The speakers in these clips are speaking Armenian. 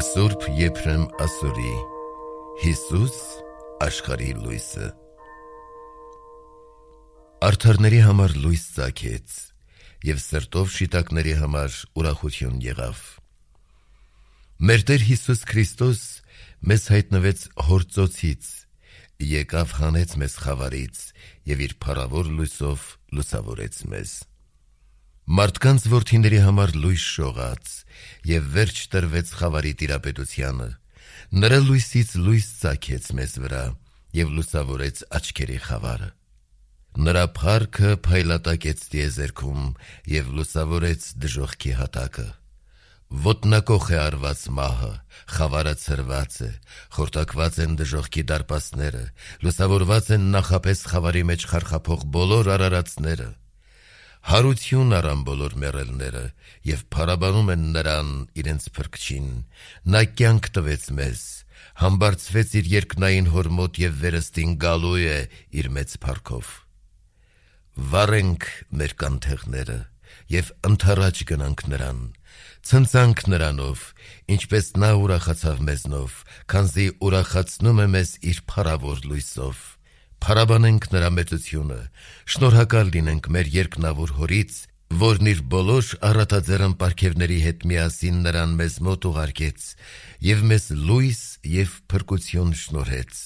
Սուրբ Եփրեմ Ասորի Հիսուս աշխարհի լույսը Արդարների համար լույս ծագեց և սրտով շիտակների համար ուրախություն եղավ։ Մեր Տեր Հիսուս Քրիստոս մեզ հայտնվեց հոր ծոցից, եկավ հանեց մեզ խավարից և իր փառավոր լույսով լուսավորեց մեզ։ Մարդկանց որդիների համար լույս շողաց և վերջ տրվեց խավարի տիրապետությանը, նրա լույսից լույս ծագեց մեզ վրա և լուսավորեց աչքերի խավարը։ Նրա փառքը փայլատակեց տիեզերքում և լուսավորեց դժոխքի հատակը։ Ոտնակոխ է արված մահը, խավարը ցրված է, խորտակված են դժոխքի դարպասները, լուսավորված են նախապես խավարի մեջ խարխափող բոլոր արարածները։ Հարություն առան բոլոր մեռելները և փառաբանում են նրան իրենց փրկչին։ Նա կյանք տվեց մեզ, համբարձվեց իր երկնային հոր մոտ և վերստին գալու է իր մեծ փառքով։ Վառենք մեր կանթեղները և ընդառաջ գնանք նրան, ցնծանք նրանով, ինչպես նա ուրախացավ մեզնով, քանզի ուրախացնում է մեզ իր փառավոր լույսով։ Փառաբանենք նրա մեծությունը, շնորհակալ լինենք մեր երկնավոր հորից, որն իր բոլոր առատաձեռն պարգևների հետ միասին նրան մեզ մոտ ուղարկեց և մեզ լույս և փրկություն շնորհեց։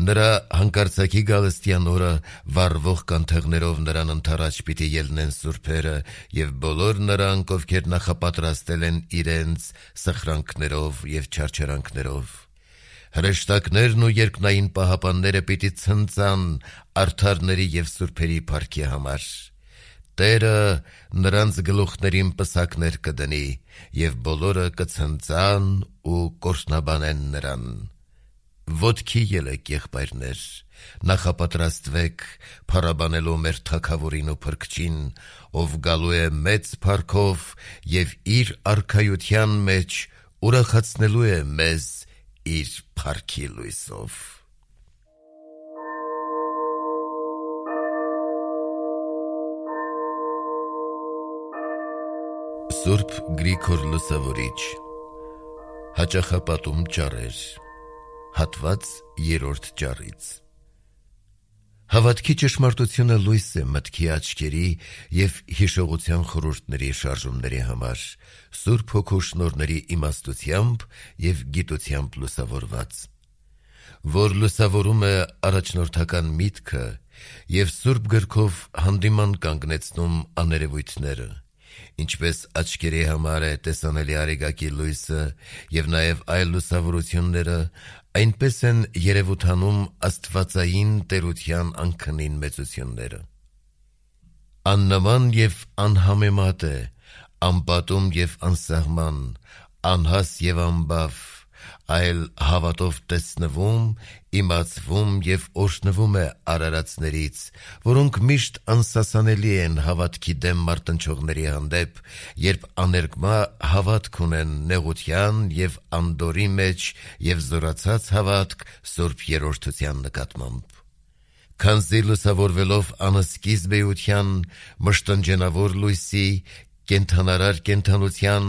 Նրա հանկարծակի գալստյան օրը վառվող կանթեղներով նրան ընդառաջ պիտի ելնեն սուրբերը և բոլոր նրանք, ովքեր նախապատրաստել են իրենց սխրանքներով և չարչարանքներով։ Հրեշտակներն ու երկնային պահապանները պիտի ցնծան արդարների և սուրբերի փառքի համար։ Տերը նրանց գլուխներին պսակներ կդնի և բոլորը կցնծան ու կորսնաբանեն նրան։ Ոտքի ելեք, եղբայրներ, նախապատրաստվեք փառաբանելու մեր Թագավորին ու Փրկչին, ով գալու է մեծ փառքով և իր արքայության մեջ ուրախացնելու է մեզ իր փառքի լույսով։ Սուրբ Գրիգոր Լուսավորիչ Հաճախապատում ճառեր Հատված 3-րդ ճառից Հավատքի ճշմարտությունը լույս է մտքի աչքերի և հիշողության խորհուրդների շարժումների համար, Սուրբ Հոգու շնորհների իմաստությամբ և գիտությամբ լուսավորված, որ լուսավորում է առաջնորդական միտքը և Սուրբ գրքով հանդիման կանգնեցնում աներևույթները, ինչպես աչքերի համար է տեսանելի արեգակի լույսը և նաև այլ լուսավորությունները, այնպես են երևութանում աստվածային տերության անքնին մեծությունները։ Աննման և անհամեմատ է, անպատում և անսահման, անհաս և անբավ, այլ հավատով տեսնվում, իմացվում և օրհնվում է արարածներից, որոնք միշտ անսասանելի են հավատքի դեմ մարտնչողների հանդեպ, երբ աներկմա հավատք ունեն նեղության և անդորրի մեջ և զորացած հավատք Սուրբ Երրորդության նկատմամբ։ Քանզի լուսավորվելով անսկիզբ էության, մշտնջենավոր լույսի, կենդանարար կենդանության,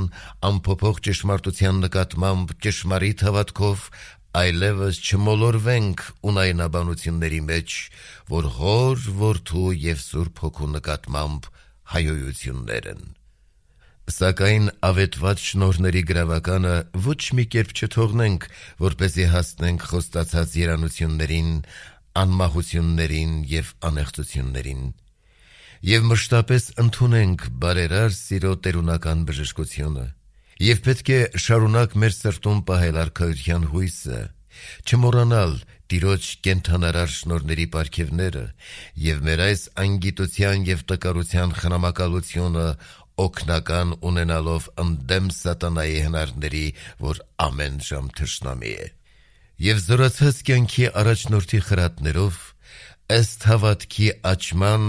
անփոփոխ ճշմարտության նկատմամբ ճշմարիտ հավատքով այլևս չմոլորվենք ունայնաբանությունների մեջ, որ Հոր, Որդու և Սուրբ Հոգու նկատմամբ հայհոյություններ են։ Սակայն ավետված շնորհների գրավականը ոչ մի կերպ չթողնենք, որպեսզի հասնենք խոստացած երանություններին, անմահություններին և անեղծություններին։ Եվ մշտապես ընդունենք բարերար սիրո տերունական բժշկությունը, և պետք է շարունակ մեր սրտում պահել արքայության հույսը, չմոռանալ Տիրոջ կենդանարար շնորհների պարգևները և մեր այս անգիտության և տկարության խնամակալությունը օգնական ունենալով ընդդեմ սատանայի հնարների, որ ամեն ժամ թշնամի է։ Եվ զորացած կյանքի առաջնորդի խրատներով ըստ հավատքի աճման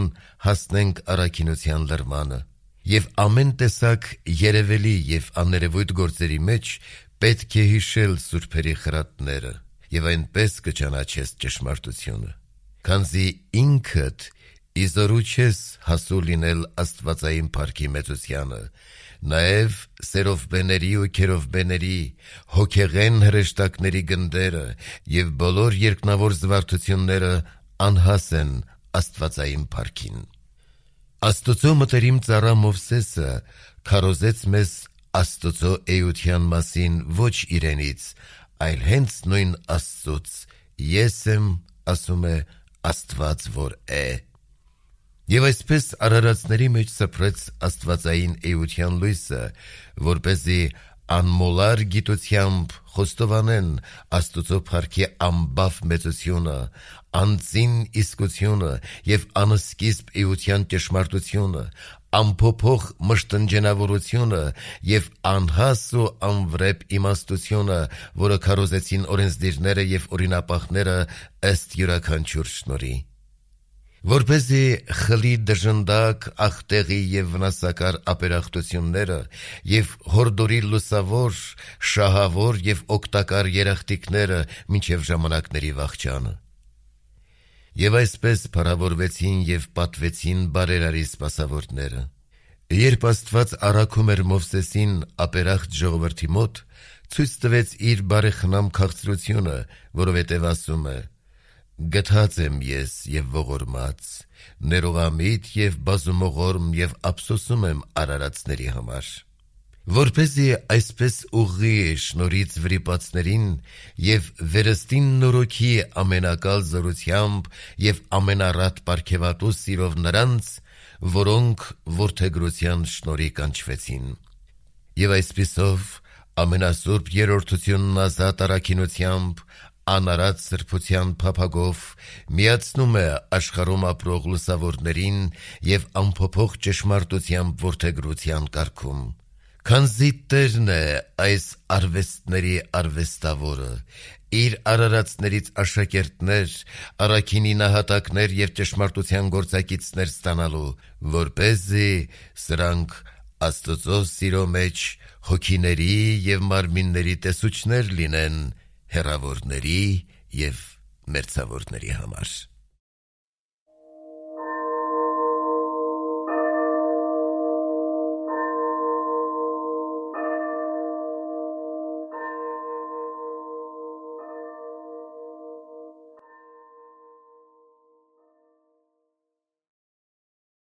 հասնենք առաքինության լրմանը, և ամեն տեսակ երևելի և աներևույթ գործերի մեջ պետք է հիշել սուրբերի խրատները և այնպես կճանաչես ճշմարտությունը, քանզի ինքդ իզորու չես հասու լինել աստվածային փառքի մեծությանը, Նաև սերովբեների ու քերովբեների, հոգեղեն հրեշտակների գնդերը և բոլոր երկնավոր զվարթությունները անհաս են Աստվածային փառքին։ Աստծո մտերիմ ծառա Մովսեսը քարոզեց մեզ Աստծո էության մասին ոչ իրենից, այլ հենց նույն Աստծուց. «Ես եմ, ասում է, Աստված որ է»։ Եվ այսպես արարածների մեջ սփռեց Աստվածային էության լույսը, որպեսզի անմոլար գիտությամբ խոստովանեն Աստծո փառքի անբաֆ մեծությունը, անծին իսկությունը և անսկիզբ էության ճշմարտությունը, անփոփոխ մշտնջենավորությունը և անհաս ու անվրեպ իմաստությունը, որը քարոզեցին օրենսդիրները և օրինապահները ըստ յուրաքանչյուր շնորհի, որպեսզի խլի դժնդակ, աղտեղի և վնասակար ապերախտությունները և հորդորի լուսավոր, շահավոր և օգտակար երախտիկները մինչև ժամանակների վախճանը։ Եվ այսպես փառավորվեցին և պատվեցին բարերարի սպասավորները։ Երբ Աստված առաքում էր Մովսեսին ապերախտ ժողովրդի մոտ, ցույց տվեց իր բարեխնամ քաղցրությունը, որովհետև ասում է. «Գթած եմ ես և ողորմած, ներողամիտ և բազումողորմ և ափսոսում եմ արարածների համար, որպեսզի այսպես ուղղի շնորհից վրիպածներին և վերստին նորոգի ամենակալ զորությամբ և ամենառատ պարգևատու սիրով նրանց, որոնք որդեգրության շնորհի կանչվեցին։ Եվ այսպիսով ամենասուրբ երրորդությունն ազատ առաքինությամբ, անարատ սրբության փափագով միացնում է աշխարհում ապրող լուսավորներին և անփոփոխ ճշմարտությամբ որդեգրության կարգում։ Քանզի Տերն է այս արվեստների արվեստավորը, իր արարածներից աշակերտներ, առաքինի նահատակներ և ճշմարտության գործակիցներ ստանալու, որպեսզի սրանք Աստծո սիրո մեջ հոգիների և մարմինների տեսուչներ լինեն հեռավորների և մերձավորների համար»։